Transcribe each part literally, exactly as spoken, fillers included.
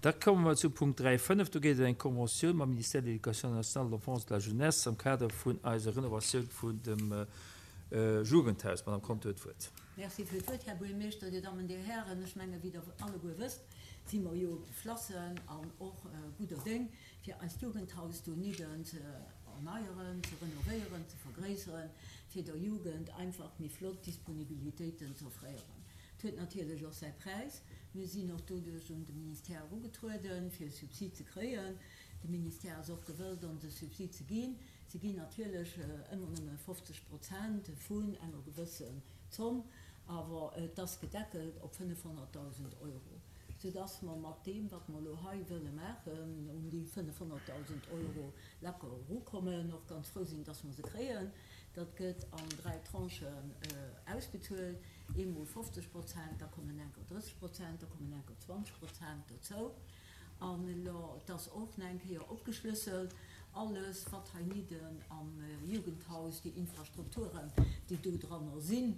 Da komme mer zu Punkt dräi fënnef. Do geet et ëm eng Conventioun mam Ministère de l'Éducation nationale, de l'Enfance et de la Jeunesse am Kader vun eiser Renovatioun vun dem Jugendhaus. D'Madame Conter huet d'Wuert. Merci fir d'Wuert, Här Buergermeeschter, Dir Dammen, Dir Hären. Ech menge wéi Der alleguer wësst, si mer jo geflassen an och gudder Déng, fir eist Jugendhaus donidden ze erneieren, ze renovéieren, ze vergréisseren, fir der Jugend einfach méi flott Disponibilitéiten ze offréieren. Et huet natierlech och säi Präis. Mir sinn och doduerch un de Ministère erugetrueden, fir e Subsid ze kréien. De Ministère ass och gewëllt, ons e Subsid ze ginn. Se ginn natierlech ëmmer nëmme fofzeg Prozent vun enger gewëssen Zomm, awer et ass gedeckelt op fënnefhonnertdausend Euro, soudass mer mat deem, wat mer elo hei wëlle maachen, un déi fënnefhonnertdausend Euro lacker erukommen, och ganz frou sinn, dass mer se kréien. Dat gëtt an dräi Tranchen ausbezuelt, eemol fofzeg Prozent, da kommen enker drësseg Prozent, da kommen enker zwanzeg Prozent dozou. An elo, et ass och nach eng Kéier opgeschlësselt, alles, wat heinidden am Jugendhaus, déi Infrastrukturen, déi do dranner sinn,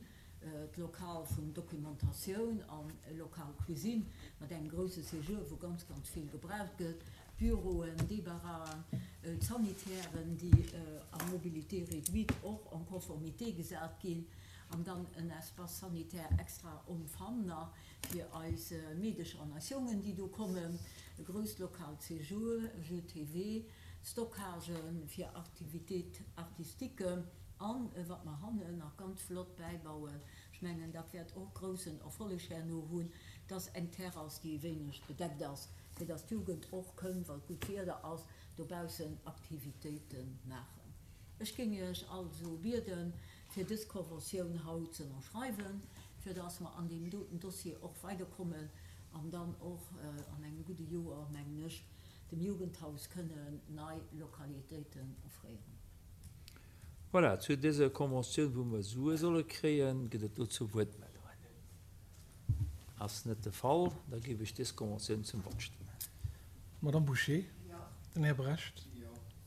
d'Lokal vun Documentatioun an e Lokal Cuisine mat engem grouse Séjour, wou ganz, ganz vill gebraucht gëtt, d'Büroen, d'Débaraen, d'Sanitären, déi a Mobilité réduite och en conformité gesat ginn, an dann en Espace sanitaire extra homme femme nach fir eis Meedecher an eis Jongen, déi do kommen, e grousst Lokal Séjour, Jeux T V, Stockage fir Activités artistiques an wat mer hannen nach ganz flott bäibauen, ech mengen dat wäert och groussen Erfolleg herno hunn, dass eng Terrass, déi e wéineg bedeckt ass, fir dass d'Jugend och kënn, wa gutt Wieder ass, dobaussen Aktivitéite maachen. Ech géing Iech also bieden, fir dës Conventioun haut ze ënnerschreiwen, fir dass mer an deem doten Dossier och weiderkommen an dann och an engem gudde Joer, mengen ech, dem Jugendhaus kënnen nei Lokalitéiten offréieren. Voilà, zu dëser Conventioun, wou mer Sue solle kréien, gëtt et dozou Wuertmeldungen? Ass net de Fall. Da géif ech dës Conventioun zum Vott stellen. D'Madame Bouché? Den Här Brecht?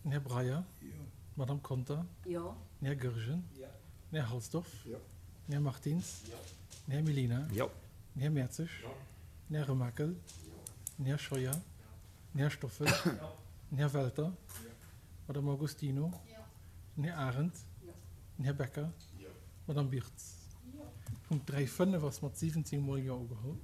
Den Här Breyer? D'Madame Conter? Den Här Goergen? Den Här Halsdorf? Den Här Martins? Den Här Mellina? Den Här Mertzig? Den Här Remakel? Den Här Scheuer? Den Här Stoffel? Den Här Welter? D'Madame Agostino? Den Här Arendt? Den Här Becker? D'Madame Birtz? Punkt dräi fënnef ass mat siwwenzéng mol Jo ugeholl.